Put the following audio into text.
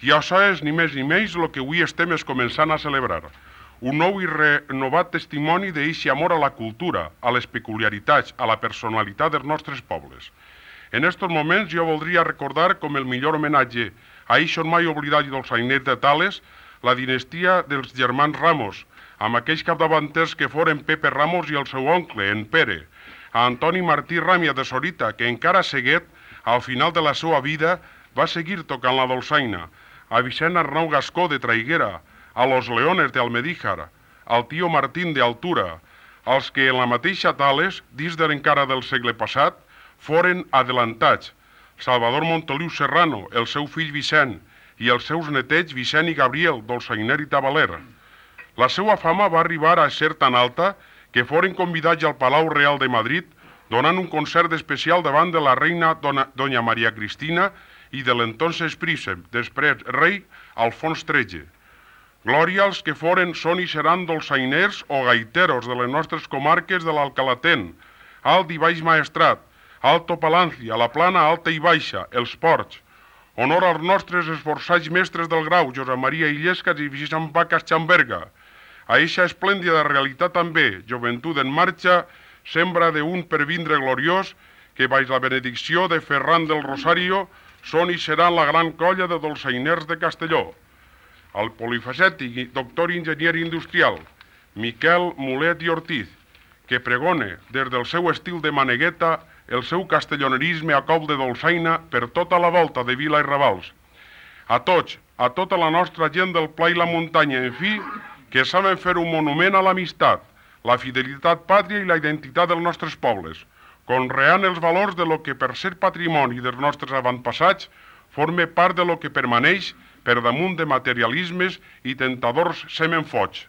I això és ni més ni menys el que avui estem començant a celebrar. Un nou i renovat testimoni d'eixe amor a la cultura, a les peculiaritats, a la personalitat dels nostres pobles. En estos moments jo voldria recordar com el millor homenatge a eixos mai oblidats dels sainers de Tales, la dinastia dels germans Ramos, amb aquells capdavanters que foren Pepe Ramos i el seu oncle, en Pere, a Antoni Martí Ràmia de Sorita, que encara seguet, al final de la seva vida, va seguir tocant la dolçaina, a Vicent Arnau Gascó de Traiguera, a los Leones d'Almedíjar, al tio Martín d'Altura, als que en la mateixa Tales, dins de l'encara del segle passat, foren adelantats, Salvador Montoliu Serrano, el seu fill Vicent, i els seus netets Vicent i Gabriel, dolçainer i tabaler. La seva fama va arribar a ser tan alta que foren convidats al Palau Real de Madrid donant un concert especial davant de la reina Doña Maria Cristina i de l'entonces príncep, després rei, Alfons XIII. Glòria als que foren, són i seran dolçainers o gaiteros de les nostres comarques de l'Alcalatén, Alt i Baix Maestrat, Alto Palancia, la Plana Alta i Baixa, els Ports. Honor als nostres esforçats mestres del grau, Josep Maria Illescas i Vicent Vacas Chamberga. A eixa esplèndida realitat també, joventut en marxa, sembra d'un per vindre gloriós, que baix la benedicció de Ferran del Rosario són i seran la gran colla de dolçainers de Castelló. El polifacètic i doctor enginyer industrial, Miquel Mulet i Ortiz, que pregone des del seu estil de manegueta el seu castellonerisme a cop de dolçaina per tota la volta de vila i ravals. A tots, a tota la nostra gent del pla i la muntanya, en fi, que saben fer un monument a l'amistat, la fidelitat pàtria i la identitat dels nostres pobles, conreant els valors de lo que per ser patrimoni dels nostres avantpassats forma part de lo que permaneix per damunt de materialismes i tentadors semenfots.